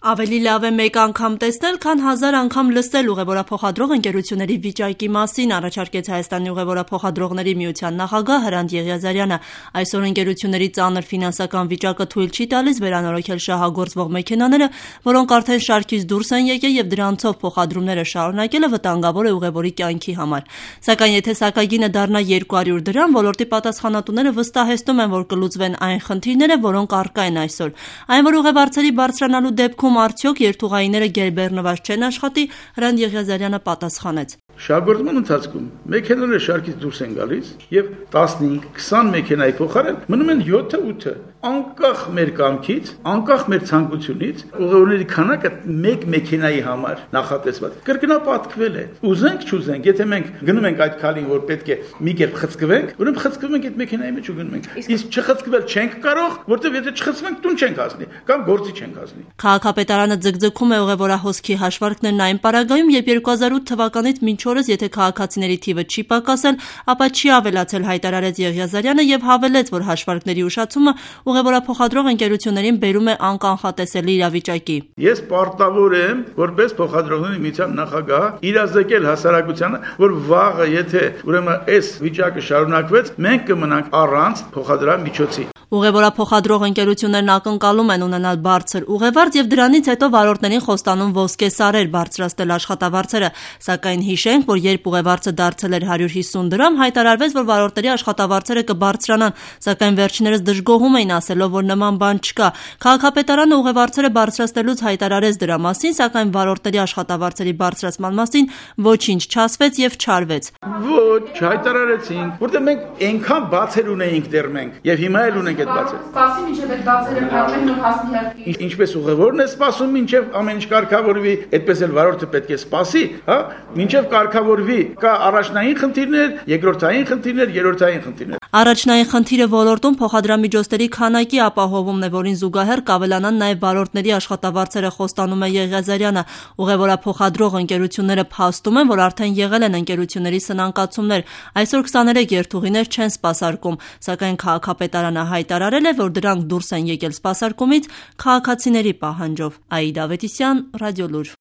Ավելի լավ է մեկ անգամ տեսնել, քան 1000 անգամ լսել ուղևորափոխադրող ընկերությունների վիճակի մասին, առաջարկեց Հայաստանի ուղևորափոխադրողների միության նախագահ Հրանտ Եղիազարյանը։ Այսօր ընկերությունների ծանր ֆինանսական վիճակը թույլ չի տալիս վերանորոգել շահագործվող մեքենաները, որոնք արդեն շարքից դուրս են եկել եւ դրանցով փոխադրումները շարունակելը վտանգավոր է ուղևորի կյանքի համար։ Սակայն եթե սակագինը դառնա 200 դրամ, ոլորտի պատասխանատուները վստահեցնում են, որ կլուծվեն այն խնդիրները, որոնք առկա են այսօր։ Այն որ ուղևորների բարձրանալու դեպքում արդյոք երթուղայինները գերբեռնված չեն աշխատի, Հրանտ Եղիազարյանը պատասխանեց. Շահգործման ընթացքում մեքենաները շարքից դուրս են գալիս եւ 15-20 մեքենայի փոխարեն մնում են 7-8-ը, անկախ մեր կամքից, անկախ մեր ցանկությունից, ուղևորների քանակը մեկ մեքենայի համար նախատեսված կրկնապատկվել է։ Ուզենք չուզենք, եթե մենք գնում ենք այդ քալին, որ պետք է մի կերպ խցկվենք, ուրեմն խցկվում ենք այդ մեքենայի մեջ ու գնում ենք։ Իսկ չխցկվել չենք կարող, որտեղ եթե չխցվենք տուն չենք հասնի կամ գործի չենք հասնի։ Քաղաքապետարանը ձգձգում է ուղևորահոսքի հաշվարկներն այն պարագայում, երբ 2008 թվականից մինչ օրս եթե քաղաքացիների թիվը չի պակասել, ապա չի ավելացել, հայտարարեց Եղիազարյանը եւ հավելեց, որ հաշվարկների ուշացումը ուղևորափոխադրող ընկերություններին բերում է անկանխատեսելի իրավիճակի։ Ես պարտավոր եմ, որպես փոխադրողների միության նախագահ, իրազեկել հասարակությանը, որ վաղը եթե ուրեմն այս վիճակը շարունակվեց, մենք կմնանք առանց փոխադրամիջոցի։ Ուղևորափոխադրող ընկերություններն ակնկալում են ունենալ բարձր ուղևորձ եւ դրանից հետո վարորդներին խոստանում ոսկե սարեր բարձրացնել աշխատավարձերը, սակայն հիշենք, որ երբ ուղևորձը դարձել էր 150 դրամ, հայտարարվեց, որ վարորդների աշխատավարձերը կբարձրանան, սակայն վերջիններս դժգոհում էին ասելով, որ նման բան չկա։ Քաղաքապետարանը ուղևորձերը բարձրացնելուց հայտարարեց դրա մասին, սակայն վարորդների աշխատավարձերի բարձրացման մասին ոչինչ չասվեց եւ չարվեց։ Ոչ, հայտարարեցինք, որտեղ մենք այնքան բացեր ունեինք դեռ մենք եւ հիմա էլ ունենք այդ բացերը։ Սպասի մինչև այդ բացերը փակվեն ու հասնի հարկի։ Ինչպես ուղևորն է սպասում մինչև ամեն ինչ կարգավորվի, այդպես էլ վարորդը պետք է սպասի, հա, մինչև կարգավորվի։ Կա առաջնային խնդիրներ, երկրորդային խնդիրներ, երրորդային խնդիրներ։ Առաջնային խնդիրը ոլորտում փոխադրամիջոցների քանակի ապահովումն է, որին զուգահեռ կավելանան նաև վարորդների աշխատավարձերը, խոստանում է Եղիազարյանը։ Ուղևորափոխադրող ընկերությունները փաստում են, որ արդեն եղել են ընկերությունների սնանկացումներ։ Այսօր 23 երթուղիներ չեն սպասարկում, սակայն քաղաքապետարանը հայտարարել է, որ դրանք դուրս են եկել սպասարկումից քաղաքացիների պահանջով։ Աիդա Ավետիսյան, Ռադիոլուր։